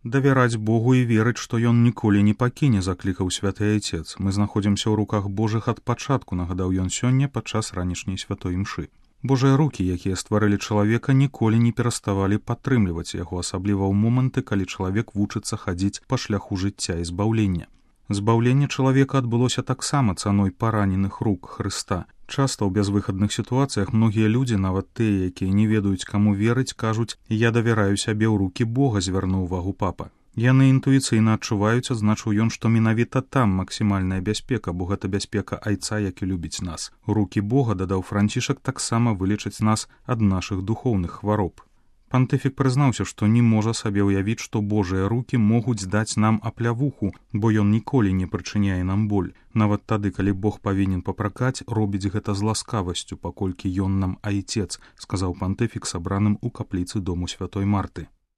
Давяраць Богу і верыць, што ён ніколі не пакіне, заклікаў святы айцец. Мы знаходзімся ў руках Божых ад пачатку, нагадаў ён сёння падчас ранішняй святой імшы. Божыя рукі, якія стварылі чалавека, ніколі не пераставалі падтрымліваць яго, асабліва ў моманты, калі чалавек вучыцца хадзіць па шляху жыцця і збаўлення. Збаўленне чалавека адбылося таксама цаной параненых рук Хрыста. Часта ў бязвыхадных сітуацыях многія людзі, нават тыя, якія не ведаюць, каму верыць, кажуць: «Я давяраю сябе ў рукі Бога», звярнуў увагу папа. Яны інтуіцыйна адчуваюць, адзначыў ён, што менавіта там максімальная бяспека, бо гэта бяспека айца, які любіць нас. Рукі Бога, дадаў Францішак, таксама вылечаць нас ад нашых духоўных хвароб. Пантыфік прызнаўся, што не можа сабе ўявіць, што Божыя рукі могуць даць нам аплявуху, бо ён ніколі не прычыняе нам боль. Нават тады, калі Бог павінен папракаць, робіць гэта з ласкавасцю, паколькі ён нам айцец, сказаў пантыфік сабраным у капліцы дому святой Марты.